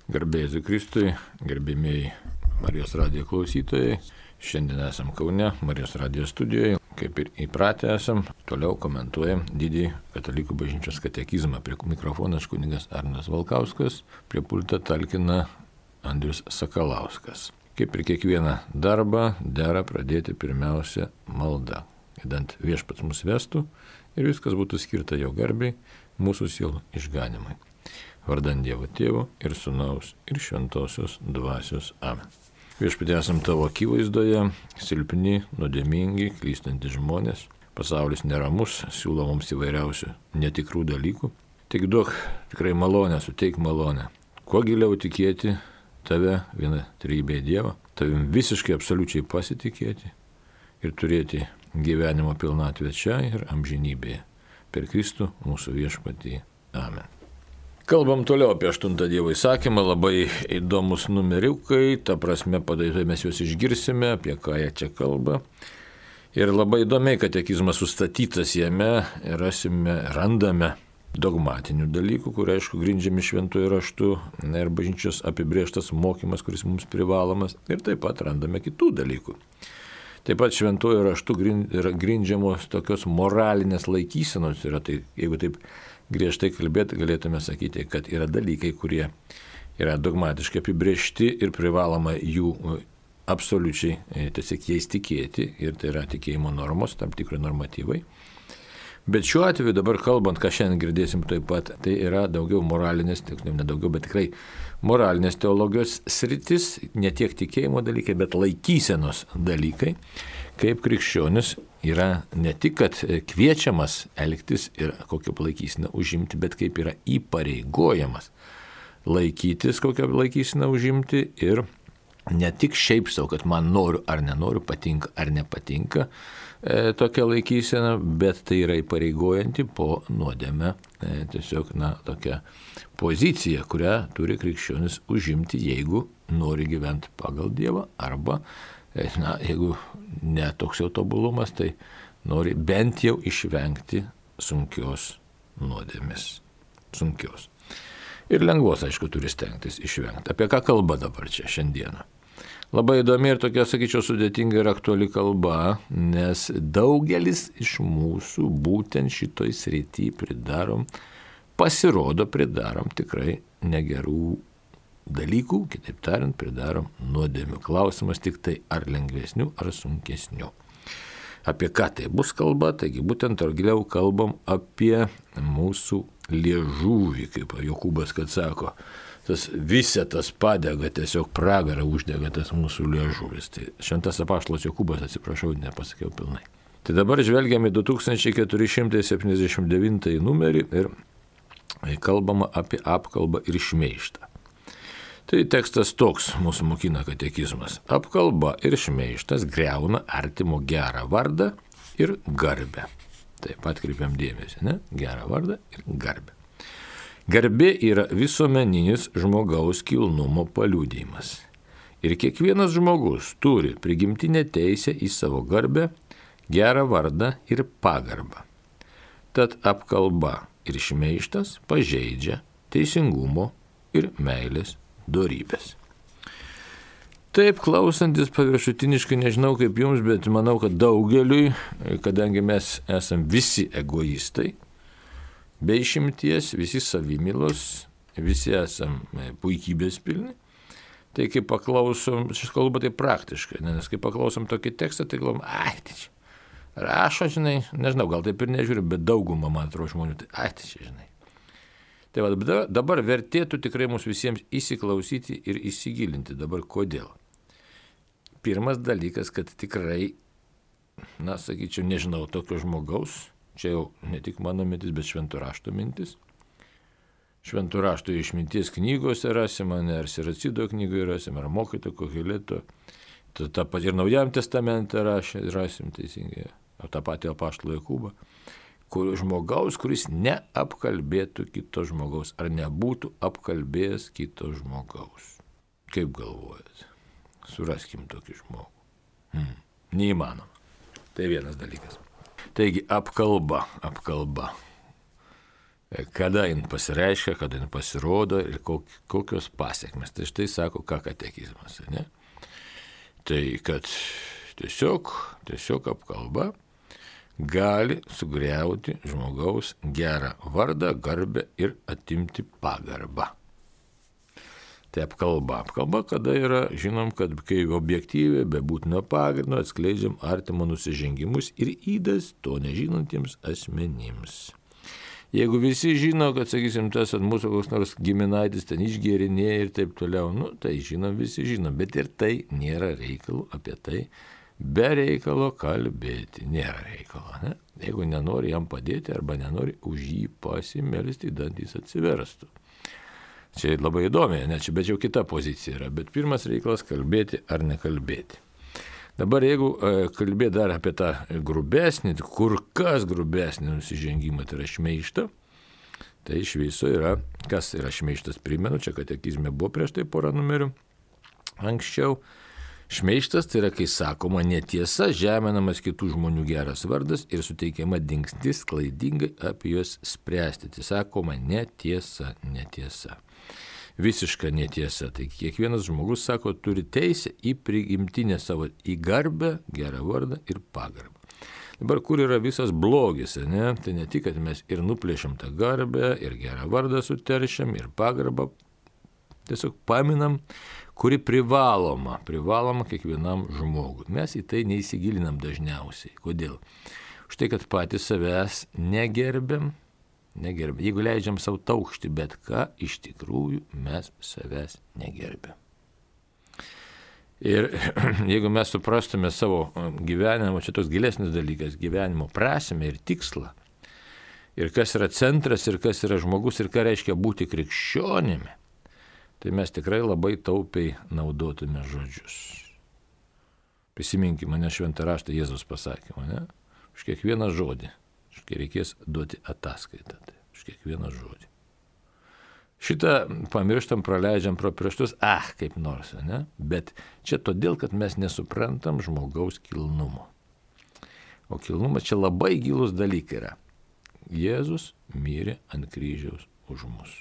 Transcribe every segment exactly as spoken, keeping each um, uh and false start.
Garbė Jėzui Kristui, gerbėmiai Marijos radijo klausytojai. Šiandien esam Kaune, Marijos radijo studijoje. Kaip ir įpratę esam, toliau komentuojam didįjį Katalikų bažnyčios katekizmą. Prie mikrofonas kunigas Arnas Valkauskas, prie pulto talkina Andrius Sakalauskas. Kaip ir kiekvieną darbą, dera pradėti pirmiausia malda, idant Viešpats mus vestų ir viskas būtų skirta jo garbei, mūsų sielų išganimui. Vardant Dievo Tėvo ir Sūnaus ir Šventosios Dvasios. Amen. Viešpatie, esam tavo akivaizdoje, silpni, nuodėmingi, klystantys žmonės. Pasaulis neramus, siūlo mums įvairiausių netikrų dalykų. Tik duok tikrai malonę, suteik malonę. Kuo giliau tikėti tave, vieną trejybę Dievą, tavim visiškai absoliučiai pasitikėti ir turėti gyvenimo pilnatvę čia ir amžinybėje. Per Kristų mūsų Viešpatį. Amen. Kalbam toliau apie aštuntą Dievo įsakymą, labai įdomus numeriukai, ta prasme padarytai mes juos išgirsime, apie ką jie čia kalba. Ir labai įdomiai katekizmas sustatytas jame, rasime, randame dogmatinių dalykų, kurie aišku grindžiami šventuoju raštu, ir bažnyčios apibrėžtas mokymas, kuris mums privalomas, ir taip pat randame kitų dalykų. Taip pat šventuoju raštu yra grindžiamos tokios moralinės laikysenos, yra tai, jeigu taip griežtai kalbėti, galėtume sakyti, kad yra dalykai, kurie yra dogmatiškai apibrėžti ir privaloma jų absoliučiai tiesiog jais tikėti, ir tai yra tikėjimo normos, tam tikri normatyvai. Bet šiuo atveju dabar kalbant, ką šiandien girdėsim taip pat, tai yra daugiau moralinės, ne daugiau, bet tikrai moralinės teologijos sritis, ne tiek tikėjimo dalykai, bet laikysenos dalykai, kaip krikščionis yra ne tik, kad kviečiamas elgtis ir kokią laikyseną užimti, bet kaip yra įpareigojamas laikytis, kokią laikyseną užimti, ir ne tik šiaip savo, kad man noriu ar nenoriu, patinka ar nepatinka e, tokia laikysena, bet tai yra įpareigojanti po nuodėmę e, tiesiog, na, tokia pozicija, kurią turi krikščionis užimti, jeigu nori gyventi pagal Dievą, arba na, jeigu ne toks jau tobulumas, tai nori bent jau išvengti sunkios nuodėmės. Sunkios. Ir lengvos, aišku, turi stengtis išvengti. Apie ką kalba dabar čia šiandieną? Labai įdomi ir tokia, sakyčiau, sudėtinga ir aktuali kalba, nes daugelis iš mūsų būtent šitoj srity pridarom, pasirodo pridarom tikrai negerų dalykų, kitaip tariant, pridarom nuodėmių. Klausimas tik tai, ar lengvesnių, ar sunkesnių. Apie ką tai bus kalba? Taigi būtent ar giliau kalbam apie mūsų liežuvį, kaip Jokūbas, kad sako, tas visetas padega, tiesiog pragarą uždega tas mūsų liežuvis. Tai šventas apaštalas Jokūbas, atsiprašau, nepasakiau pilnai. Tai dabar žvelgiame du tūkstančiai keturi šimtai septyniasdešimt devintąjį numerį ir kalbama apie apkalbą ir šmeižtą. Tai tekstas toks mūsų mokina katekizmas. Apkalba ir šmeižtas griauna artimo gerą vardą ir garbę. Taip pat kreipiam dėmesį, ne? Gerą vardą ir garbę. Garbė yra visuomeninis žmogaus kilnumo paliudijimas. Ir kiekvienas žmogus turi prigimtinę teisę į savo garbę, gerą vardą ir pagarbą. Tad apkalba ir šmeižtas pažeidžia teisingumo ir meilės dorybės. Taip, klausantis paviršutiniškai, nežinau kaip jums, bet manau, kad daugeliui, kadangi mes esam visi egoistai, be išimties, visi savimylos, visi esam puikybės pilni, tai kai paklausom, šis kalba tai praktiškai, nes kai paklausom tokį tekstą, tai galvom, ai, tai čia rašo, žinai, nežinau, gal taip ir nežiūriu, bet daugumą, man atrodo, žmonių, tai ai, tai čia, žinai. Tai va, dabar vertėtų tikrai mums visiems įsiklausyti ir įsigilinti. Dabar kodėl? Pirmas dalykas, kad tikrai, na, sakyčiau, nežinau tokio žmogaus, čia jau ne tik mano mintis, bet šventų rašto mintis. Šventų rašto išminties knygose rasim, ar Siracido knygoje rasim, ar mokyto Koheleto, tą patį ir Naujajam testamente rasim teisingai, o tą patį apaštalą Jokūbą. Kur žmogaus, kuris neapkalbėtų kito žmogaus, ar nebūtų apkalbėjęs kito žmogaus. Kaip galvojat? Suraskim tokį žmogų. Hmm. Neįmanoma. Tai vienas dalykas. Taigi apkalba, apkalba. kada jin pasireiškia, kada jin pasirodo ir kokios pasiekmes. Tai štai sako, ką katekizmas. Ne? Tai kad tiesiog, tiesiog apkalba gali sugriauti žmogaus gerą vardą, garbę ir atimti pagarbą. Tai apkalba. Apkalba, kada yra, žinom, kad kai objektyviai, be būtino pagrindo atskleidžiam artimo nusižengimus ir ydas to nežinantiems asmenims. Jeigu visi žino, kad, sakysim, tas ant mūsų koks nors giminaitis ten išgėrinėja ir taip toliau, nu, tai žinom, visi žinom, bet ir tai nėra reikalo apie tai, be reikalo kalbėti, nėra reikalo. Ne? Jeigu nenori jam padėti arba nenori už jį pasimelsti, dantys atsiverstų. Čia labai įdomi, ne, čia bet jau kita pozicija yra, bet pirmas reikalas kalbėti ar nekalbėti. Dabar jeigu kalbėti dar apie tą grubesnį, kur kas grubesnį nusižengimą, tai yra šmeištą, tai iš viso yra, kas yra šmeištas, primenu, čia katekizme buvo prieš tai porą numerių anksčiau. Šmeištas tai yra, kai sakoma netiesa, žeminamas kitų žmonių geras vardas ir suteikiama dingstis klaidingai apie juos spręsti. Tai sakoma netiesa, netiesa. Visiška netiesa. Tai kiekvienas žmogus, sako, turi teisę į prigimtinę savo, į garbę, gerą vardą ir pagarbą. Dabar kur yra visas blogis, ne? Tai ne tik, kad mes ir nuplėšiam tą garbę, ir gerą vardą suteršiam, ir pagarbą tiesiog paminam, kuri privaloma, privaloma kiekvienam žmogui. Mes į tai neįsigilinam dažniausiai. Kodėl? Štai, kad patys savęs negerbiam, negerbiam. Jeigu leidžiam savo taukšti bet ką, iš tikrųjų mes savęs negerbiam. Ir jeigu mes suprastume savo gyvenimo, čia toks gilesnis dalykas, gyvenimo prasmę ir tikslą, ir kas yra centras, ir kas yra žmogus, ir ką reiškia būti krikščionimi, tai mes tikrai labai taupiai naudotume žodžius. Prisiminkime, mane šventą raštą Jėzus pasakė, ne? Už kiekvieną žodį, kai reikės duoti ataskaitą, tai už kiekvieną žodį. Šitą pamirštam, praleidžiam pro pirštus, ah, kaip nors, ne? Bet čia todėl, kad mes nesuprantam žmogaus kilnumo. O kilnumas čia labai gilus dalykai yra. Jėzus mirė ant kryžiaus už mus.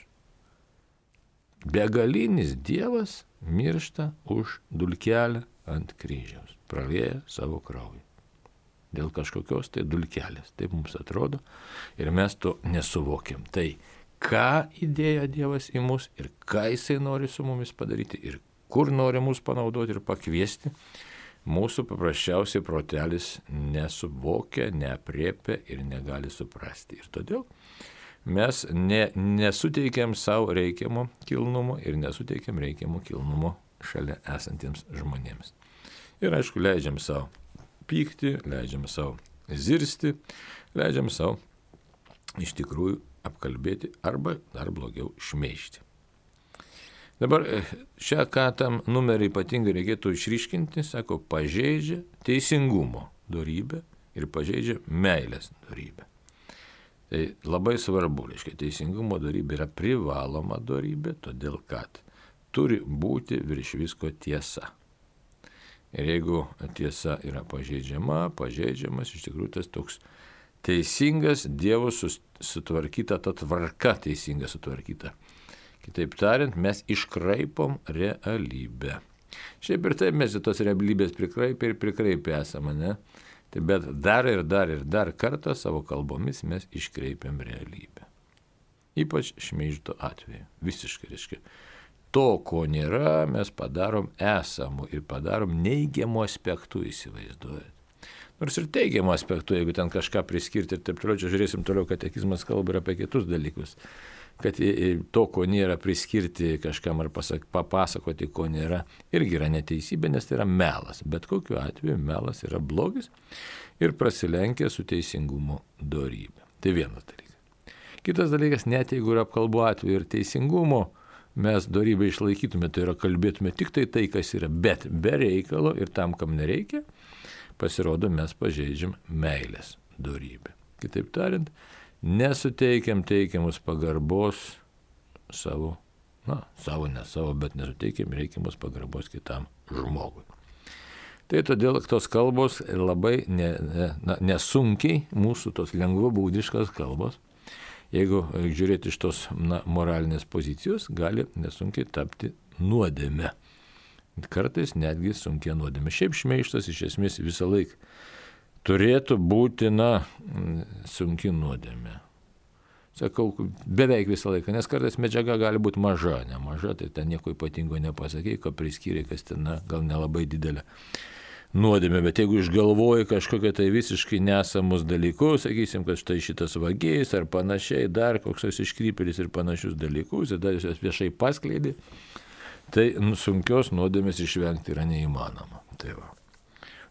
Begalinis Dievas miršta už dulkelę ant kryžiaus, pralieja savo kraują. Dėl kažkokios tai dulkelės, taip mums atrodo, ir mes to nesuvokiam. Tai ką įdėjo Dievas į mus ir ką Jisai nori su mumis padaryti ir kur nori mus panaudoti ir pakviesti, mūsų paprasčiausiai protelis nesuvokia, neapriepia ir negali suprasti. Ir todėl mes ne, nesuteikiam savo reikiamo kilnumo ir nesuteikiam reikiamo kilnumo šalia esantiems žmonėms. Ir aišku, leidžiam savo pykti, leidžiam savo zirsti, leidžiam savo iš tikrųjų apkalbėti arba dar blogiau šmeižti. Dabar šią ką tam numerį ypatingai reikėtų išryškinti, sako, pažeidžia teisingumo dorybę ir pažeidžia meilės dorybę. Tai labai svarbu, reiškia, teisingumo dorybė yra privaloma dorybė, todėl kad turi būti virš visko tiesa. Ir jeigu tiesa yra pažeidžiama, pažeidžiamas iš tikrųjų tas toks teisingas Dievo sutvarkyta, ta tvarka teisinga sutvarkyta. Kitaip tariant, mes iškraipom realybę. Šiaip ir taip mes į tos realybės prikraipę ir prikraipę esame, ne? Tai bet dar ir dar ir dar kartą savo kalbomis mes iškreipiam realybę. Ypač šmeižto atveju. Visiškai, reiškia. To, ko nėra, mes padarom esamų ir padarom neigiamų aspektų, įsivaizduojat. Nors ir teigiamų aspektų, jeigu ten kažką priskirti ir taip toliau, čia žiūrėsim toliau, katekizmas kalba ir apie kitus dalykus. Kad to, ko nėra, priskirti kažkam ar pasak, papasakoti, ko nėra, irgi yra neteisybė, nes tai yra melas. Bet kokiu atveju melas yra blogis ir prasilenkia su teisingumo dorybė. Tai vienas dalykas. Kitas dalykas, net jeigu yra apkalbų atveju ir teisingumo, mes dorybę išlaikytume, tai yra kalbėtume tik tai tai, kas yra, bet be reikalo ir tam, kam nereikia, pasirodo, mes pažeidžiam meilės dorybę. Kitaip tariant, nesuteikiam teikiamus pagarbos savo, na, savo, ne savo, bet nesuteikiam reikiamus pagarbos kitam žmogui. Tai todėl tos kalbos labai ne, ne, na, nesunkiai, mūsų tos lengvabūdiškos kalbos, jeigu žiūrėti iš tos na, moralinės pozicijos, gali nesunkiai tapti nuodėme. Kartais netgi sunkia nuodėme. Šiaip šmeižtas iš esmės visą laiką turėtų būti, na, sunki nuodėme. Sakau, beveik visą laiką, nes kartais medžiaga gali būti maža, ne maža, tai ten nieko ypatingo nepasakė, ką priskyrė, kas ten, na, gal nelabai didelė nuodėmė, bet jeigu išgalvoji kažkokią tai visiškai nesamus dalykus, sakysim, kad štai šitas vagėjais ar panašiai, dar koks iškrypėlis ir panašius dalykus, ir dar jūs viešai paskleidė, tai nu, sunkios nuodėmės išvengti yra neįmanoma. Tai va.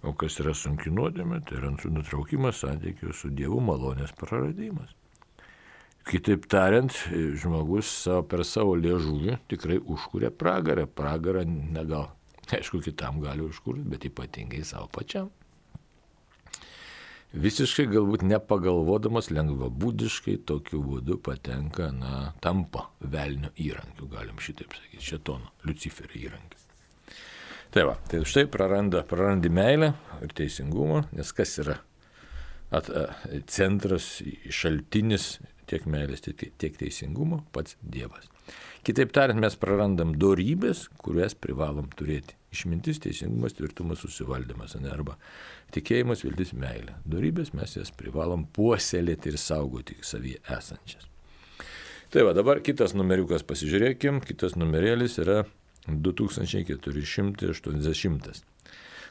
O kas yra sunki nuodėmė, tai yra nutraukimas santykių su Dievu, malonės praradimas. Kitaip tariant, žmogus savo, per savo liežuvį tikrai užkuria pragarą. Pragarą negal, aišku, kitam gali užkurti, bet ypatingai savo pačiam. Visiškai galbūt nepagalvodamas lengvabūdiškai tokiu būdu patenka, na, tampa velnio įrankiu, galim šitaip sakyti, šėtono, Liuciferio įrankiu. Tai va, tai štai praranda, prarandi meilę ir teisingumą, nes kas yra at, a, centras, šaltinis tiek meilės, tiek, tiek teisingumo, pats Dievas. Kitaip tariant, mes prarandam dorybės, kurias privalom turėti. Išmintis, teisingumas, tvirtumas, susivaldymas, ne, arba tikėjimas, viltis, meilė. Dorybės mes jas privalom puoselėti ir saugoti savyje esančias. Tai va, dabar kitas numeriukas pasižiūrėkim, kitas numerėlis yra du tūkstančiai keturi šimtai aštuoniasdešimt.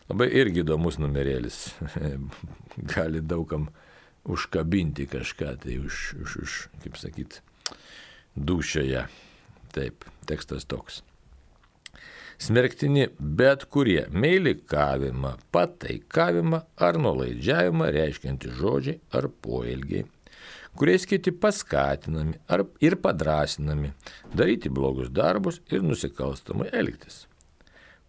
Labai irgi įdomus numerėlis, gali daugam užkabinti kažką, tai už, už, už kaip sakyt, dūšioje. Taip, tekstas toks. Smerktini bet kurie meilikavimą, pataikavimą ar nuolaidžiavimą reiškianti žodžiai ar poelgiai, kuriais kiti paskatinami ar ir padrasinami daryti blogus darbus ir nusikalstamai elgtis.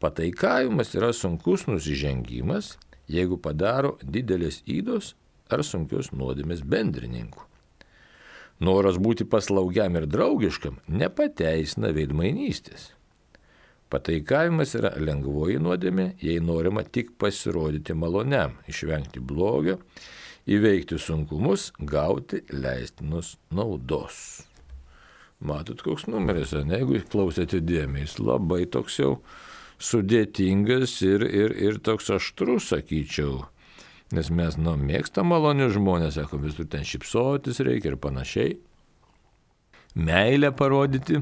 Pataikavimas yra sunkus nusižengimas, jeigu padaro didelės ydos ar sunkios nuodėmės bendrininkų. Noras būti paslaugiam ir draugiškam nepateisina veidmainystės. Pataikavimas yra lengvoji nuodėmė, jei norima tik pasirodyti maloniam, išvengti blogio, įveikti sunkumus, gauti leistinos naudos. Matot, koks numeris, ne? Jeigu klausėte dėmesį, jis labai toks jau sudėtingas ir, ir, ir toks aštrus, sakyčiau. Nes mes, nu, mėgstam malonius žmonės, sako, visur ten šypsotis reikia ir panašiai. Meilę parodyti,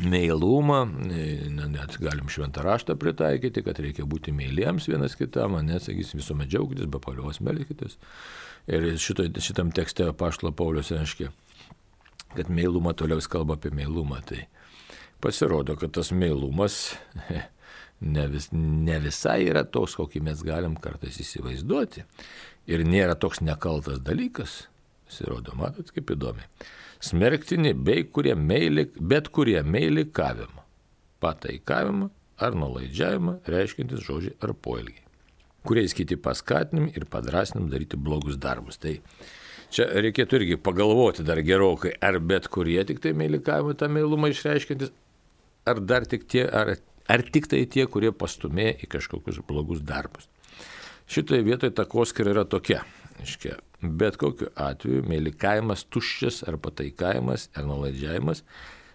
meilumą, net galim šventą raštą pritaikyti, kad reikia būti meiliems vienas kitam, net, sakysim, visuomet džiaugtis, be paliovos melkitės. Ir šito, šitam tekste apaštalo Paulius reiškia, kad meilumą toliau kalba apie meilumą. Tai pasirodo, kad tas meilumas ne, vis, ne visai yra toks, kokį mes galim kartais įsivaizduoti. Ir nėra toks nekaltas dalykas. Pasirodo, matot, kaip įdomiai. Smerktini bei kurie meili, bet kurie meilikavimą, pataikavimą ar nuolaidžiavimą reiškiantis žodžiai ar poelgiai, kuriais kiti paskatinami ir padrasinami daryti blogus darbus. Tai čia reikėtų irgi pagalvoti dar gerokai, ar bet kurie tik tai meilikavimą, tą meilumą išreiškiantis, ar dar tik tie, ar, ar tik tai tie, kurie pastumė į kažkokius blogus darbus. Šitoje vietoje takoskyra yra tokia. Iškia, bet kokiu atveju meilikavimas tuščias ar pataikavimas ar nuolaidžiavimas,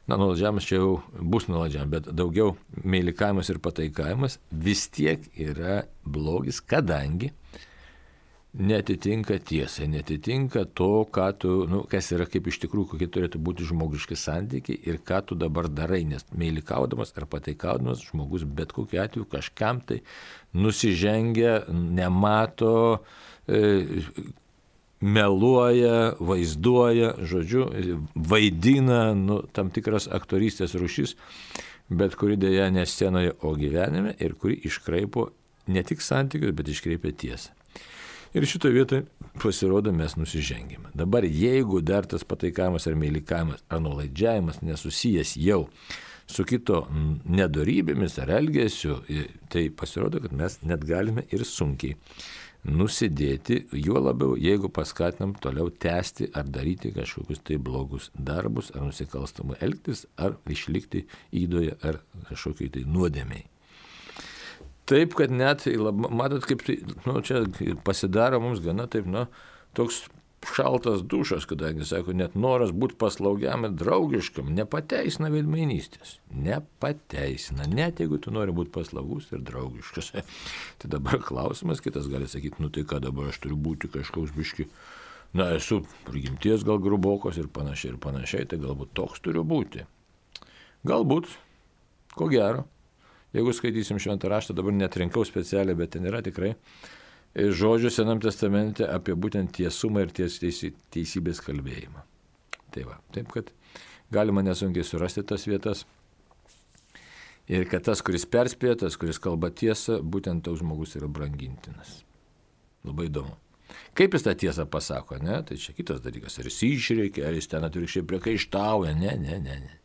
na, nuolaidžiavimas čia jau bus nuolaidžiavimas, bet daugiau meilikavimas ir pataikavimas vis tiek yra blogis, kadangi netitinka tiesai, netitinka to, ką tu, nu, kas yra kaip iš tikrųjų, kokie turėtų būti žmogiški santykiai ir ką tu dabar darai, nes meilikaudamas ar pataikaudamas žmogus bet kokiu atveju kažkam tai nusižengia, nemato, e, meluoja, vaizduoja, žodžiu, vaidina, nu, tam tikras aktorystės rūšis, bet kuri dėja ne scenoje, o gyvenime ir kuri iškraipo ne tik santykius, bet iškreipia tiesą. Ir šitoje vietoje pasirodo mes nusižengėme. Dabar jeigu dar tas pataikavimas ar meilikavimas ar nuolaidžiavimas nesusijęs jau su kito nedorybėmis ar elgesiu, tai pasirodo, kad mes net galime ir sunkiai nusidėti, juo labiau, jeigu paskatinam toliau tęsti ar daryti kažkokius tai blogus darbus, ar nusikalstamai elgtis, ar išlikti įdoje, ar kažkokiai tai nuodėmiai. Taip, kad net, matot, kaip tai, nu, čia pasidaro mums gana taip, nu, toks šaltas dušas, kadangi, sako, net noras būti paslaugiam ir draugiškam nepateisina veidmainystės. Nepateisina, net jeigu tu nori būti paslaugus ir draugiškas. Tai dabar klausimas, kitas gali sakyti, nu tai ką dabar aš turiu būti kažkoks biški, na esu prigimties gal grubokos ir panašiai ir panašiai, tai galbūt toks turiu būti. Galbūt, ko gero, jeigu skaitysim šventą raštą, dabar netrinkau specialiai, bet ten yra tikrai žodžių Senam testamente apie būtent tiesumą ir ties, teisi, teisybės kalbėjimą. Tai va, taip kad galima nesunkiai surasti tas vietas ir kad tas, kuris perspėja, tas, kuris kalba tiesą, būtent toks žmogus yra brangintinas. Labai įdomu. Kaip jis tą tiesą pasako, ne? Tai čia kitas dalykas. Ar jis išreikia, ar jis ten atvirkščiai priekaištauja, ne, ne, ne, ne.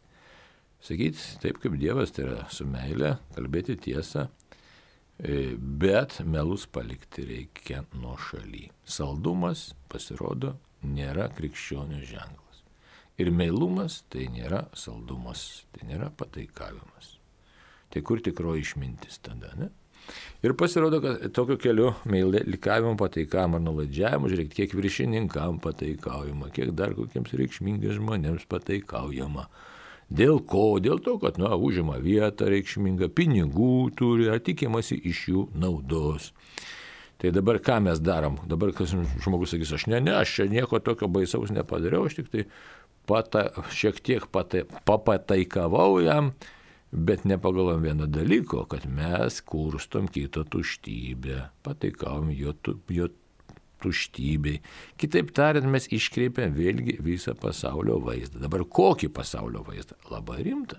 Sakyt, taip kaip Dievas, tai yra su meile, kalbėti tiesą, bet melus palikti reikia nuo šaly. Saldumas, pasirodo, nėra krikščionio ženklas. Ir meilumas tai nėra saldumas, tai nėra pataikavimas. Tai kur tikroji išmintis tada, ne? Ir pasirodo, kad tokiu keliu meilikavimo, pataikavimo ar nuolaidžiavimo, žiūrėk, kiek viršininkam pataikaujama, kiek dar kokiems reikšmingiams žmonėms pataikaujama. Dėl ko? Dėl to, kad, na, užima vietą reikšmingą, pinigų turi, tikimasi iš jų naudos. Tai dabar ką mes darom? Dabar kas žmogus sakys, aš ne, ne, aš čia nieko tokio baisaus nepadariau, aš tik tai pata, šiek tiek pata, papataikavau jam, bet nepagalvom vieno dalyko, kad mes kurstom kito tuštybę, pataikavom jo, jo tuštybei. Kitaip tariant, mes iškreipiam vėlgi visą pasaulio vaizdą. Dabar kokį pasaulio vaizdą? Labai rimtą.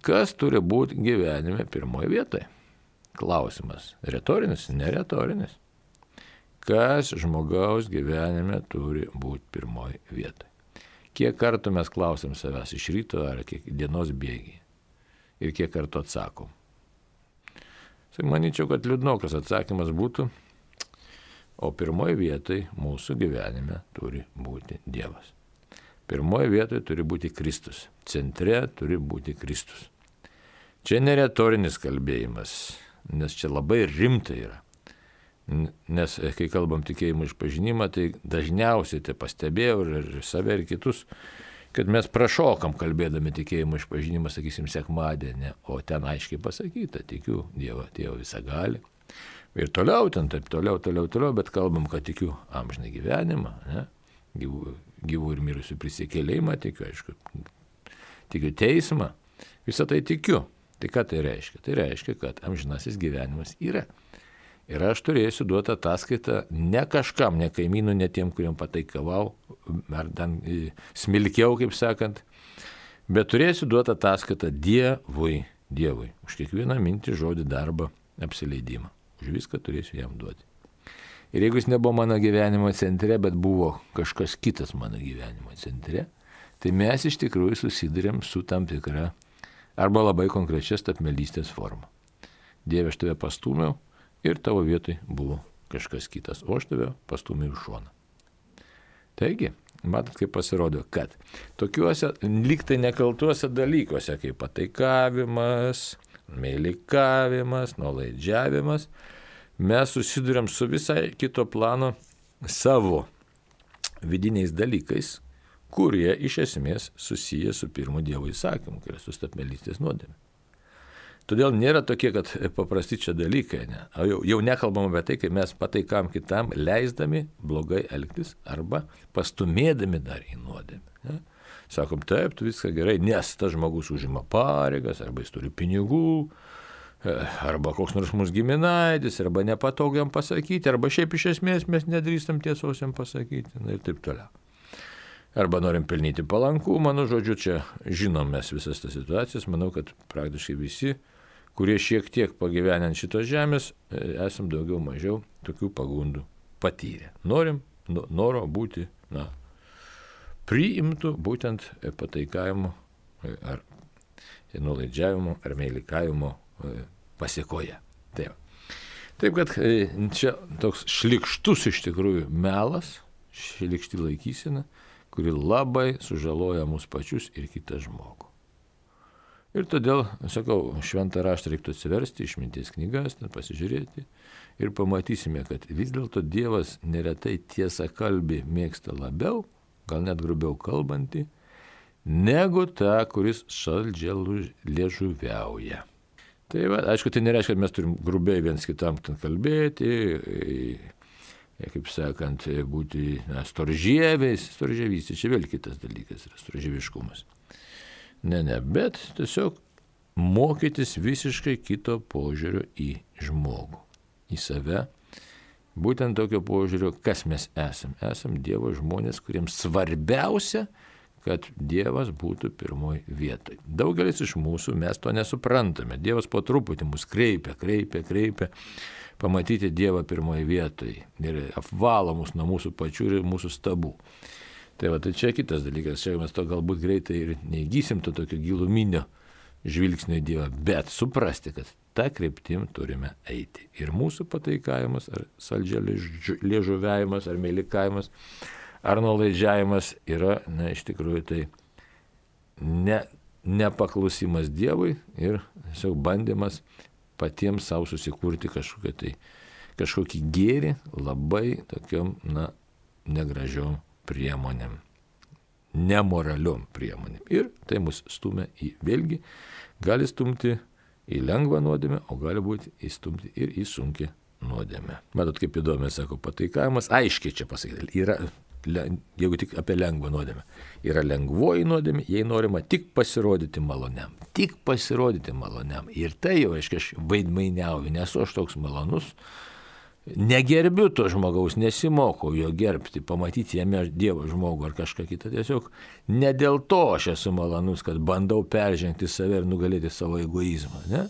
Kas turi būti gyvenime pirmoje vietoje? Klausimas. Retorinis, neretorinis. Kas žmogaus gyvenime turi būti pirmoje vietoje? Kiek kartų mes klausim savęs iš ryto ar kiek dienos bėgiai? Ir kiek kartų atsakom? Tai manyčiau, kad liūdnokas atsakymas būtų, o pirmoje vietoje mūsų gyvenime turi būti Dievas. Pirmoje vietoje turi būti Kristus. Centre turi būti Kristus. Čia neretorinis kalbėjimas, nes čia labai rimta yra. Nes kai kalbam tikėjimo išpažinimą, tai dažniausiai tai pastebėjau ir save ir kitus, kad mes prašokam kalbėdami tikėjimo išpažinimą, sakysim, sekmadienį, o ten aiškiai pasakyta, tikiu Dievą, Tėvą visagalį. Ir toliau, ten taip toliau, toliau, toliau, bet kalbam, kad tikiu amžiną gyvenimą, ne? gyvų, gyvų ir mirusių prisikėlimą, tikiu, aišku, tikiu teismą, visą tai tikiu. Tai ką tai reiškia? Tai reiškia, kad amžinasis gyvenimas yra. Ir aš turėsiu duoti ataskaitą ne kažkam, ne kaimynų, ne tiem, kuriem pataikavau, ar ten smilkiau, kaip sakant, bet turėsiu duoti ataskaitą Dievui, Dievui, už kiekvieną mintį, žodį, darbą, apsileidimą. Už viską turėsiu jam duoti. Ir jeigu jis nebuvo mano gyvenimo centre, bet buvo kažkas kitas mano gyvenimo centre, tai mes iš tikrųjų susidurėm su tam tikra arba labai konkrečia stabmelystės forma. Dieve, aš tave pastūmiau ir tavo vietoj buvo kažkas kitas, o aš tave pastūmiau į šoną. Taigi, matot, kaip pasirodo, kad tokiuose lygtai nekaltuose dalykuose, kaip pataikavimas, meilikavimas, nuolaidžiavimas, mes susiduriam su visai kito plano savo vidiniais dalykais, kurie iš esmės susiję su pirmu Dievo įsakymu, tai yra su stabmelystės nuodėme. Todėl nėra tokie, kad paprasti čia dalykai, ne? Jau, jau nekalbam apie tai, kai mes pataikam kitam, leisdami blogai elgtis arba pastumėdami dar į nuodėmę. Ne? Sakom, taip, tu viską gerai, nes tas žmogus užima pareigas, arba jis turi pinigų, arba koks nors mūsų giminaitis, arba nepatogiam pasakyti, arba šiaip iš esmės mes nedrįstam tiesosiam pasakyti, na ir taip toliau. Arba norim pelnyti palankumą, nu žodžiu, čia žinom mes visas tas situacijas, manau, kad praktiškai visi, kurie šiek tiek pagyvenę ant šitos žemės, esam daugiau mažiau tokių pagundų patyrę. Norim, noro būti, na, priimtų būtent pataikavimo ar nuolaidžiavimo ar meilikavimo pasėkoje. Taip. Taip, kad čia toks šlykštus iš tikrųjų melas, šlykšti laikysena, kuri labai sužaloja mus pačius ir kitą žmogų. Ir todėl, sakau, šventą raštą reiktų atsiversti, išminties knygas, ten pasižiūrėti ir pamatysime, kad vis dėlto Dievas neretai tiesą kalbį mėgsta labiau, gal net grubiau kalbantį, negu tą, kuris saldžiai liežuviauja. Tai va, aišku, tai nereiškia, kad mes turim grubiai viens kitam ten kalbėti, kaip sakant, būti na, storžieviais, storžievys, čia vėl kitas dalykas yra storžieviškumas. Ne, ne, bet tiesiog mokytis visiškai kito požiūrio į žmogų, į save. Būtent tokio požiūrio, kas mes esam. Esam Dievo žmonės, kuriems svarbiausia, kad Dievas būtų pirmoji vietoj. Daugelis iš mūsų mes to nesuprantame. Dievas po truputį mus kreipia, kreipia, kreipia. Pamatyti Dievą pirmoji vietoj ir apvalo mus nuo mūsų pačių ir mūsų stabų. Tai va, tai čia kitas dalykas, čia mes to galbūt greitai ir neįgysim to tokio giluminio žvilgsnio į Dievą, bet suprasti, kad tą kryptim turime eiti. Ir mūsų pataikavimas, ar saldžia liežuviavimas, ar meilikavimas, ar nuolaidžiavimas yra, na, iš tikrųjų tai ne, nepaklusimas Dievui ir tiesiog bandymas patiems savo susikurti kažkokį, tai, kažkokį gėrį labai tokiom, na, negražiom priemonėm, nemoraliom priemonėm. Ir tai mus stumia į, vėlgi, gali stumti į lengvą nuodėmę, o gali būti įstumti ir į sunkią nuodėmę. Matot, kaip įdomiai sako pataikavimas, aiškiai čia pasakyti, yra, jeigu tik apie lengvą nuodėmę, yra lengvoji nuodėmė, jei norima tik pasirodyti maloniam, tik pasirodyti maloniam. Ir tai jau, aiškiai, aš vaidmainiauju, nesu aš toks malonus, negerbiu to žmogaus, nesimokau jo gerbti, pamatyti jame Dievo žmogų ar kažką kitą. Tiesiog ne dėl to aš esu malonus, kad bandau peržengti save ir nugalėti savo egoizmą, ne?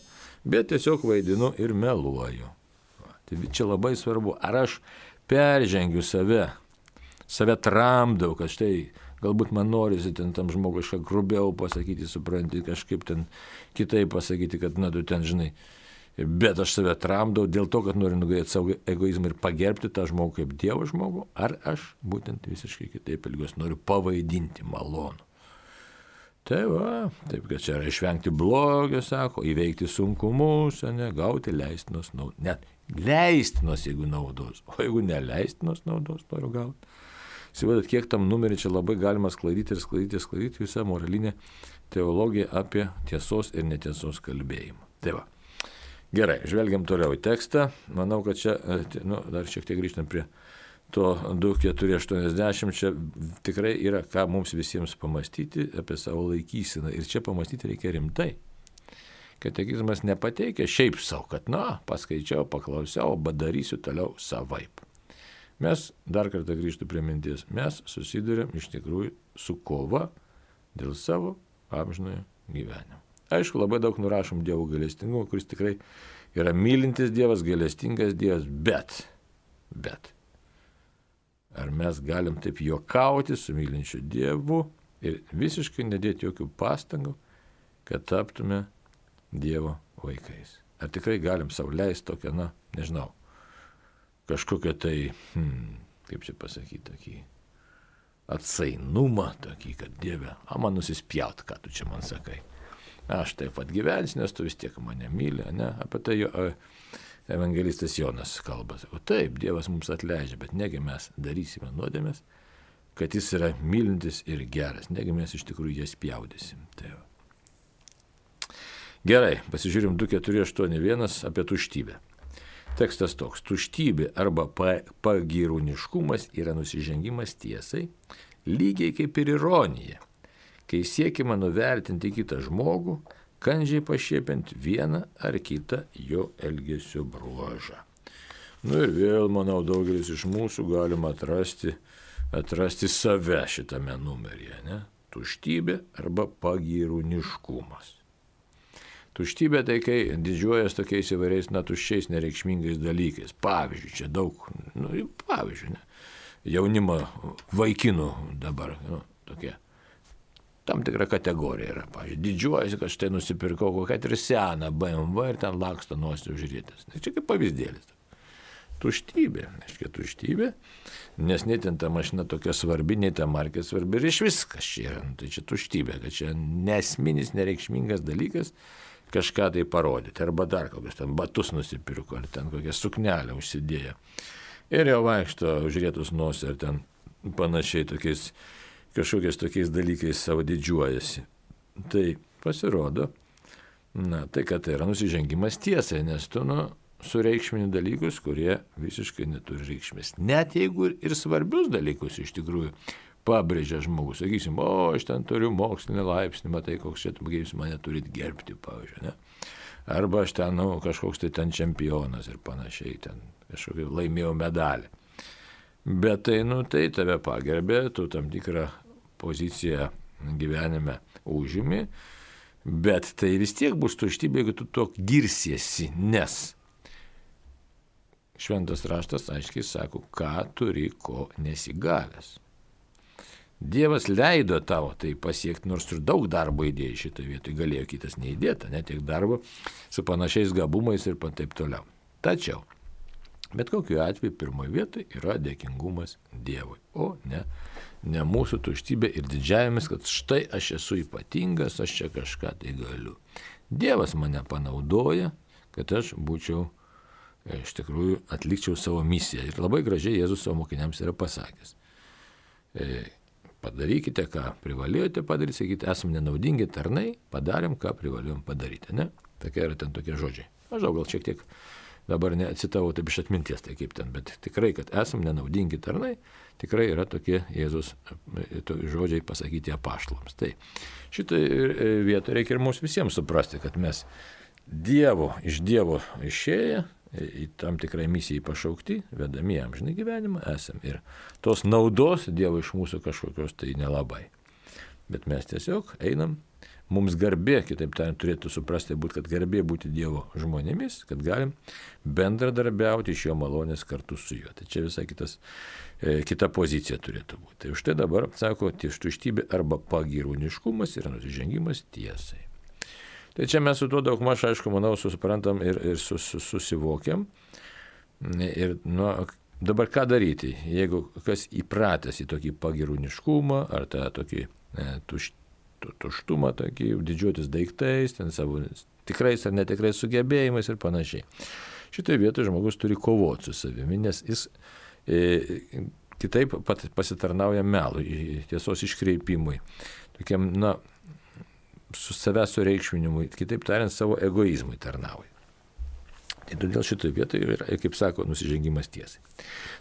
Bet tiesiog vaidinu ir meluoju. Tai čia labai svarbu, ar aš peržengiu save, save tramdau, kad štai galbūt man norisi ten tam žmogui kažką grubiau pasakyti, supranti, kažkaip ten kitaip pasakyti, kad na tu ten žinai. Bet aš save tramdau dėl to, kad noriu nugalėti savo egoizmą ir pagerbti tą žmogų kaip Dievo žmogų, ar aš būtent visiškai kitaip elgiuosi, noriu pavaidinti malonų. Tai va, taip, kad čia yra išvengti blogio, sako, įveikti sunkumus, ne, gauti leistinos naudos. Net leistinos, jeigu naudos, o jeigu neleistinos naudos noriu gauti. Įsivaizduokit, kiek tam numerį čia labai galima sklaidyti ir sklaidyti, sklaidyti visą moralinę teologiją apie tiesos ir netiesos kalbėjimą. Tai va. Gerai, žvelgiam toliau į tekstą. Manau, kad čia, nu, dar šiek tiek grįžtam prie to du keturi aštuoniasdešimt, čia tikrai yra ką mums visiems pamastyti apie savo laikyseną. Ir čia pamastyti reikia rimtai. Katekizmas nepateikia šiaip savo, kad, na, paskaičiau, paklausiau, bet darysiu toliau savaip. Mes, dar kartą grįžtu prie minties, mes susidurėm iš tikrųjų su kova dėl savo amžinojo gyvenimo. Aišku, labai daug nurašom Dievo gailestingumo, kuris tikrai yra mylintis Dievas, gailestingas Dievas, bet, bet, ar mes galim taip juokauti su mylinčiu Dievu ir visiškai nedėti jokių pastangų, kad taptume Dievo vaikais? Ar tikrai galim sau leisti tokią, na, nežinau, kažkokią tai, hmm, kaip čia pasakyti, tokį atsainumą, tokį, kad Dieve, a man nusispjaut, ką tu čia man sakai. Aš taip pat gyvensiu, nes tu vis tiek mane myli, ne? Apie tai jo evangelistas Jonas kalba. O taip, Dievas mums atleidžia, bet negi mes darysime nuodėmės, kad jis yra mylintis ir geras, negi mes iš tikrųjų jas spjaudysim. Tai gerai, pasižiūrim du keturi aštuoni vienas apie tuštybę. Tekstas toks: tuštybė arba pagyrūniškumas yra nusižengimas tiesai, lygiai kaip ir ironija, kai siekima nuvertinti kitą žmogų, kandžiai pašiepiant vieną ar kitą jo elgesio bruožą. Nu ir vėl, manau, daugelis iš mūsų galima atrasti, atrasti save šitame numeryje, ne? Tuštybė arba pagyrūniškumas. Tuštybė tai, kai didžiuojas tokiais įvairiais, na, tuščiais nereikšmingais dalykais. Pavyzdžiui, čia daug, nu, pavyzdžiui, ne? Jaunimo vaikinų dabar, nu, tokie. Tam tikra kategorija yra, pavyzdžiui, didžiuojasi, kad štai nusipirkau kokią ir seną B M W ir ten laksto nosį užrietęs. Čia kaip pavyzdėlis. tuštybė, aiškiai tuštybė, nes nei ten ta mašina tokia svarbi, nei ta markė svarbi ir iš viskas čia yra, nu, tai čia tuštybė, kad čia nesminis, nereikšmingas dalykas kažką tai parodyti, arba dar kokius ten batus nusipirko, ar ten kokią suknelę užsidėjo. Ir jau vaikšto užrietus nosį, ar ten panašiai tokiais, kažkokiais tokiais dalykais savo didžiuojasi. Tai pasirodo, na, tai kad tai yra nusižengimas tiesai, nes tu, nu, sureikšmini dalykus, kurie visiškai neturi reikšmės. Net jeigu ir svarbius dalykus iš tikrųjų pabrėžia žmogus, sakysim, o, aš ten turiu mokslinį laipsnį, matai, koks čia, jūs mane turit gerbti, pavyzdžiui, ne? Arba aš ten, nu, kažkoks tai ten čempionas ir panašiai, ten kažkokį laimėjau medalį. Bet tai, nu, tai tave pagerbė, tu tam tikrą poziciją gyvenime užimi, bet tai vis tiek bus tuštybė, jeigu tu to girsiesi, nes Šventas raštas aiškiai sako, ką turi, ko nesigavęs. Dievas leido tavo tai pasiekti, nors ir daug darbo įdėjai šitoje vietoje, galėjo kitas neįdėta, net tiek darbo su panašiais gabumais ir taip toliau. Tačiau, bet kokiu atveju pirmoje vietoje yra dėkingumas Dievui, o ne, ne mūsų tuštybė ir didžiavimas, kad štai aš esu ypatingas, aš čia kažką tai galiu. Dievas mane panaudoja, kad aš būčiau, iš tikrųjų, atlikčiau savo misiją. Ir labai gražiai Jėzus savo mokiniams yra pasakęs. E, padarykite, ką privalėjote padaryti, sakyti, esame nenaudingi tarnai, padarėm, ką privalėjom padaryti. Ne? Tokie yra ten tokie žodžiai. Aš gal šiek tiek dabar neatsitavau taip iš atminties, tai kaip ten, bet tikrai, kad esame nenaudingi tarnai, tikrai yra tokie Jėzus žodžiai pasakyti apaštalams. Tai šitą vietą reikia ir mums visiems suprasti, kad mes Dievo, iš Dievo išėję, į tam tikrai misijai pašaukti, vedami amžinai gyvenimą esam. Ir tos naudos Dievo iš mūsų kažkokios tai nelabai. Bet mes tiesiog einam, mums garbė, kitaip tariant, turėtų suprasti, būt, kad garbė būti Dievo žmonėmis, kad galim bendradarbiauti iš jo malonės kartu su juo. Tai čia visai kitas, e, kita pozicija turėtų būti. Tai už tai dabar, sako, tuštybė arba pagyrūniškumas yra nusižengimas tiesai. Tai čia mes su tuo daug maž, aišku, manau, susiprantam ir, ir sus, sus, susivokiam. Ir nu, dabar ką daryti, jeigu kas įpratęs į tokį pagirūniškumą ar tą tokį e, tuš, tu, tuštumą, tokį didžiuotis daiktais, ten savo tikrais ar netikrais sugebėjimais ir panašiai. Šitoje vietoje žmogus turi kovoti su savimi, nes jis e, kitaip pat pasitarnauja melui, tiesos iškreipimui, tokiam, na, su savęs sureikšminimui, kitaip tariant, savo egoizmui tarnauja. Tai todėl šitoje vietoje yra, kaip sako, nusižengimas tiesai.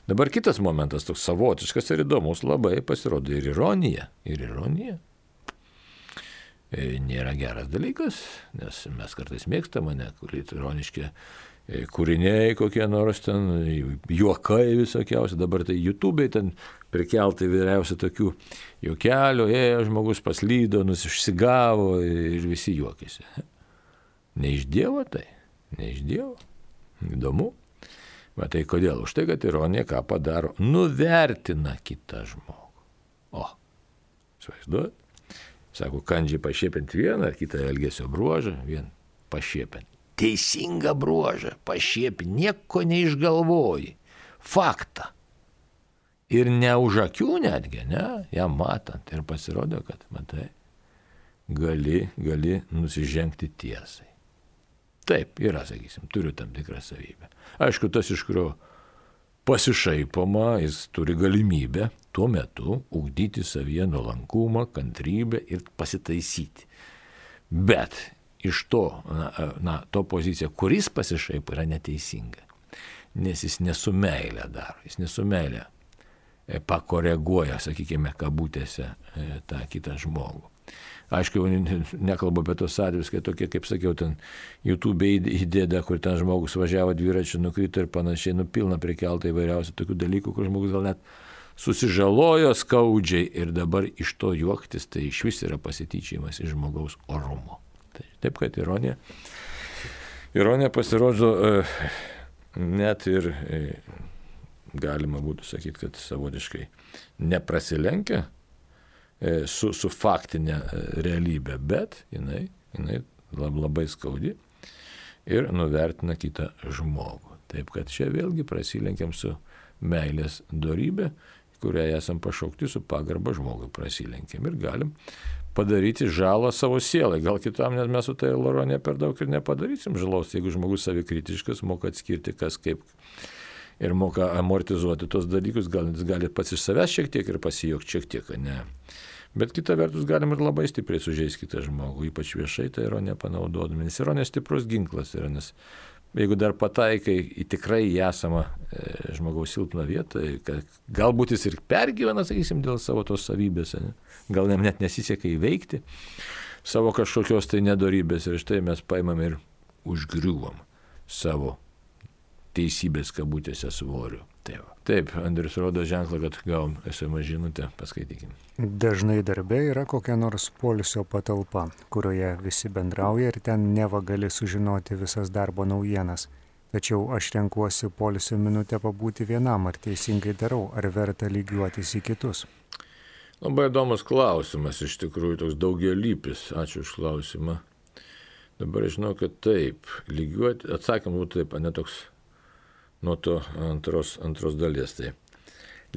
Dabar kitas momentas, toks savotiškas ir įdomus, labai pasirodo ir ironija. Ir ironija e, nėra geras dalykas, nes mes kartais mėgstame, ne, kur ironiški kūriniai kokie nors ten, juokai visokiausi, dabar tai YouTube'ai ten prikeltai vyriausia tokių juokelių, ėjo žmogus paslydo, nusišsigavo ir visi juokėsi. Ne iš Dievo tai, ne iš Dievo. Įdomu. Bet tai kodėl? Už tai, kad ironija ką padaro? Nuvertina kitą žmogų. O, įsivaizduojat? Sako, kandžiai pašiepint vieną ar kitą elgesio bruožą, vien pašiepint. Teisingą bruožą, pašiepi, nieko neišgalvoji, faktą. Ir ne už akių netgi, ne, ją matant. Ir pasirodo, kad, matai, gali, gali nusižengti tiesai. Taip, yra, sakysim, turiu tam tikrą savybę. Aišku, tas, iš kurio pasišaipoma, jis turi galimybę tuo metu ugdyti savyje nuolankumą, kantrybę ir pasitaisyti. Bet iš to, na, na, to pozicija, kuris pasišaipo, yra neteisinga. Nes jis nesumeilę daro, jis nesumeilę pakoreguoja, sakykime, kabutėse tą kitą žmogų. Aišku, nekalbu apie tos atvejus, kai tokie, kaip sakiau, ten YouTube įdėda, kur ten žmogus važiavo dviračiu, nukrito ir panašiai, nupilna prikelta įvairiausių tokių dalykų, kur žmogus gal net susižalojo skaudžiai ir dabar iš to juoktis, tai iš vis yra pasityčiajimas iš žmogaus orumo. Taip, kad ironija, ironija pasirodo net ir galima būtų sakyti, kad savotiškai neprasilenkia su, su faktinė realybė, bet jinai, jinai labai skaudi ir nuvertina kitą žmogų. Taip kad čia vėlgi prasilenkiam su meilės dorybė, kurią esam pašaukti, su pagarba žmogui prasilenkiam ir galim padaryti žalą savo sielai. Gal kitam net mes su tai Loronė per daug ir nepadarysim žalos, jeigu žmogus savikritiškas, moka atskirti kas kaip ir moka amortizuoti tos dalykus, gal jis gali pats iš savęs šiek tiek ir pasijokti šiek tiek, ne. Bet kita vertus galim ir labai stipriai sužeisti kitą žmogų, ypač viešai tą ironiją panaudodami, nes ironija stiprus ginklas yra, nes jeigu dar pataikai į tikrai į esamą e, žmogaus silpną vietą, kad galbūt jis ir pergyvena, sakysim, dėl savo tos savybės, ne? Gal jam net nesiseka įveikti savo kažkokios tai nedorybės ir štai mes paimam ir užgriuvom savo teisybės kabutėse svoriu. Taip, Taip Andrius rodo ženklą, kad gavom es em es žinutę, paskaitykim. Dažnai darbe yra kokia nors poilsio patalpa, kurioje visi bendrauja ir ten neva gali sužinoti visas darbo naujienas. Tačiau aš renkuosi poilsio minutę pabūti vienam, ar teisingai darau, ar verta lygiuotis į kitus. Labai įdomus klausimas, iš tikrųjų toks daugialypis. Ačiū už klausimą. Dabar žinau, kad taip, lygiuoti, atsakym būtų taip, ne toks nuo to antros, antros dalies. Tai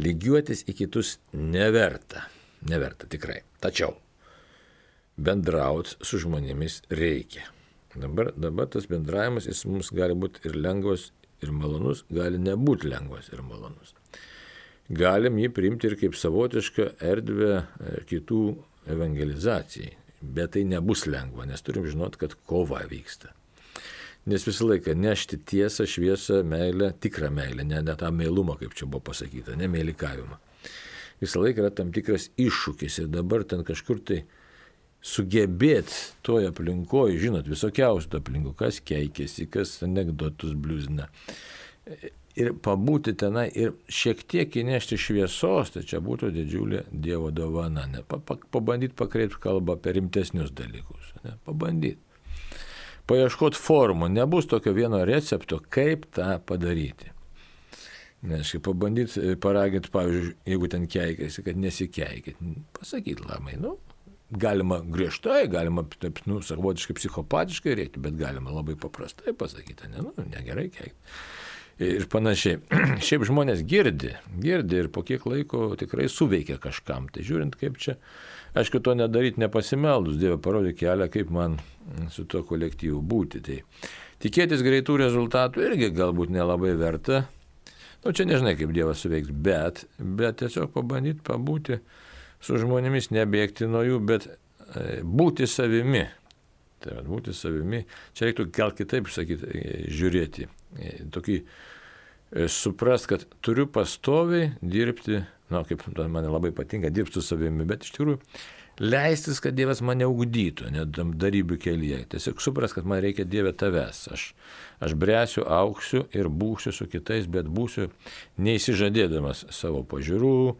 lygiuotis į kitus neverta, neverta tikrai. Tačiau bendrauti su žmonėmis reikia. Dabar, dabar tas bendravimas jis mums gali būti ir lengvas, ir malonus, gali nebūti lengvas ir malonus. Galim jį priimti ir kaip savotišką erdvę kitų evangelizacijai, bet tai nebus lengva, nes turim žinot, kad kova vyksta. Nes visą laiką nešti tiesą, šviesą, meilę, tikrą meilę, ne, ne tą meilumą, kaip čia buvo pasakyta, ne meilikavimą. Visą laiką yra tam tikras iššūkis ir dabar ten kažkur tai sugebėti toje aplinkoje, žinot, visokiausių aplinkų, kas keikėsi, kas anekdotus bliuzina. Ir pabūti tenai ir šiek tiek įnešti šviesos, tai čia būtų didžiulė Dievo dovana. Ne? Pabandyti pakreipti kalbą apie rimtesnius dalykus. Ne? Pabandyti. Paieškoti formų. Nebus tokio vieno recepto, kaip tą padaryti. Nes kai pabandyti paraginti, pavyzdžiui, jeigu ten keikėsi, kad nesikeikit, pasakyti labai, nu, galima griežtai, galima taip, nu, savotiškai psichopatiškai reikti, bet galima labai paprastai pasakyti, ne, nu, negerai keikti. Ir panašiai. Šiaip žmonės girdi, girdi ir po kiek laiko tikrai suveikia kažkam. Tai žiūrint, kaip čia, aišku, to nedaryti nepasimeldus, Dieve parodė kelią, kaip man su tuo kolektyvu būti. Tai tikėtis greitų rezultatų irgi galbūt nelabai verta. Nu, čia nežinai, kaip Dievas suveiks, bet, bet tiesiog pabandyti pabūti su žmonėmis, nebėgti nuo jų, bet e, būti savimi. Tai būti savimi. Čia reiktų gal kitaip sakyti, žiūrėti. Tokį suprast, kad turiu pastoviai dirbti, na, kaip man labai patinka, dirbti su savimi, bet iš tikrųjų leistis, kad Dievas mane ugdytų, net darybių kelyje. Tiesiog suprast, kad man reikia Dieve tavęs. Aš, aš bręsiu, auksiu ir būsiu su kitais, bet būsiu neįsižadėdamas savo pažiūrų,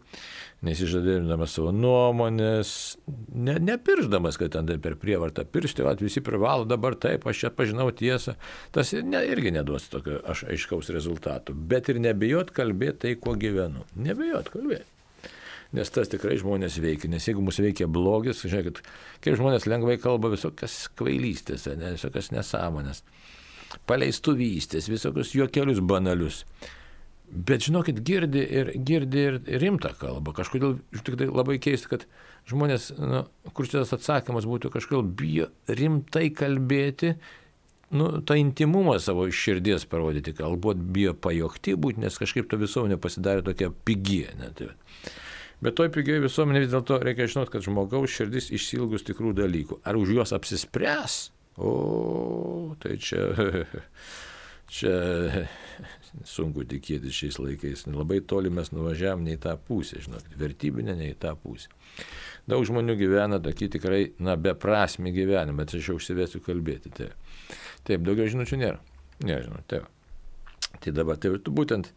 neįsižadėdamas savo nuomonės, ne, nepirždamas, kad ten per prievartą piršti, vat, visi privalo dabar taip, aš čia pažinau tiesą. Tas ne, irgi neduos tokio aš aiškaus rezultatų, bet ir nebijot kalbėti tai, kuo gyvenu. Nebijot kalbėti. Nes tas tikrai žmonės veikia, nes jeigu mūsų veikia blogis, žiūrėkit, kaip žmonės lengvai kalba visokias kvailystės, ne, visokias nesąmonės, paleistuvystės, visokius juokelius banalius. Bet žinokit, girdi ir, girdi ir rimtą kalbą. Kažkodėl tik tai labai keista, kad žmonės, nu, kur šitas atsakymas būtų, kažkodėl bijo rimtai kalbėti, nu, tą intimumą savo iš širdies parodyti, galbūt bijo pajokti būti, nes kažkaip to visuomenė pasidarė tokia pigie. Ne, tai. Bet toj pigiai visuomenė vis dėlto reikia žinoti, kad žmogaus širdis išsilgus tikrų dalykų. Ar už juos apsispręs? O, tai čia, čia sunku tikėti šiais laikais. Labai toli mes nuvažiavam ne į tą pusę, žinokit, vertybinę ne į tą pusę. Daug žmonių gyvena tokį tikrai, na, beprasmį gyvenimą, bet aš jau užsivesiu kalbėti. Taip, taip daugiau žinučių nėra. Nežinau, taip. Tai dabar, tai būtent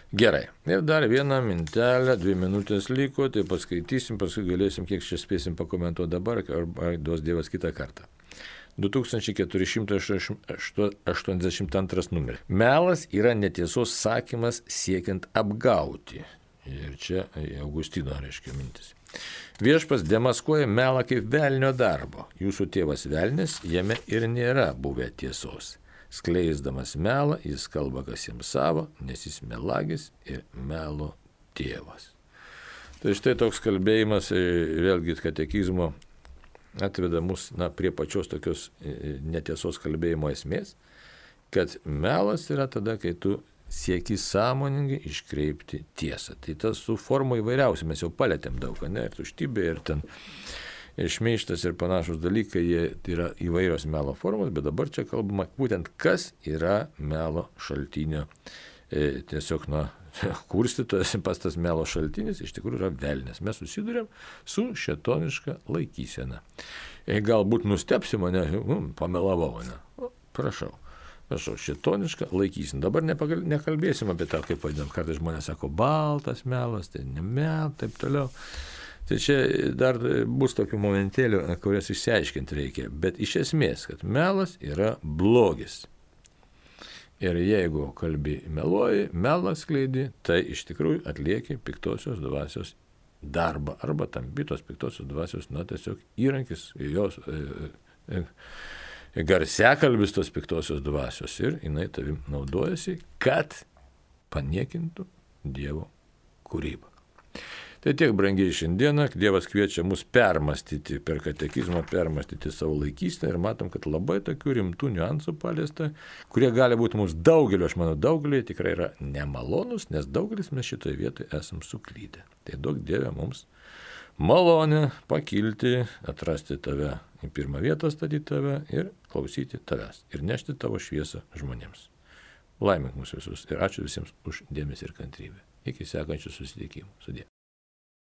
gerai. Ir dar vieną mintelę, dvi minutės liko, tai paskaitysim, paskui galėsim, kiek čia spėsim pakomentuoti dabar, ar duos Dievas kitą kartą. du tūkstančiai keturi šimtai aštuoniasdešimt antras numeris. Melas yra netiesos sakymas siekiant apgauti. Ir čia Augustino reiškia mintis. Viešpas demaskuoja melą kaip velnio darbo. Jūsų tėvas velnis, jame ir nėra buvę tiesos. Skleisdamas melą, jis kalba, kas jiems savo, nes jis melagis ir melo tėvas. Tai štai toks kalbėjimas, vėlgi katekizmo, atveda mus na, prie pačios tokios netiesos kalbėjimo esmės, kad melas yra tada, kai tu sieki sąmoningai iškreipti tiesą. Tai tas su forma įvairiausia, mes jau palėtėm daug, ne, ir tuštybė, ir ten ir šmeižtas ir panašus dalykai, jie yra įvairios melo formos, bet dabar čia kalbama būtent, kas yra melo šaltinio. E, tiesiog, na, kurstytojas, pas tas melo šaltinis iš tikrųjų yra velnias. Mes susidurėm su šėtoniška laikysena. E, galbūt nustepsi mane, um, pamelavau mane. O, prašau. Prašau, šėtoniška laikysena. Dabar nepagal, nekalbėsim apie tą, kaip vadinam. Kartais žmonės sako, baltas melas, tai ne mel, taip toliau. Tai čia dar bus tokių momentėlių, kurias išsiaiškinti reikia. Bet iš esmės, kad melas yra blogis. Ir jeigu kalbi meluoji, melą skleidi, tai iš tikrųjų atlieki piktosios dvasios darbą. Arba tampi tos piktosios dvasios, na, tiesiog įrankis, jos e, e, garsiakalbis tos piktosios dvasios. Ir jinai tavim naudojasi, kad paniekintų Dievo kūrybą. Tai tiek, brangiai, šiandieną Dievas kviečia mus permastyti per katekizmą, permastyti savo laikyseną ir matom, kad labai tokių rimtų niuansų paliesta, kurie gali būti mums daugeliu, aš manau, daugeliu tikrai yra nemalonus, nes daugelis mes šitoje vietoje esam suklydę. Tai duok Dieve mums malonę pakilti, atrasti tave, į pirmą vietą statyti tave ir klausyti tavęs ir nešti tavo šviesą žmonėms. Laimink mus visus ir ačiū visiems už dėmesį ir kantrybę. Iki sekančių susitikimų. Sudie.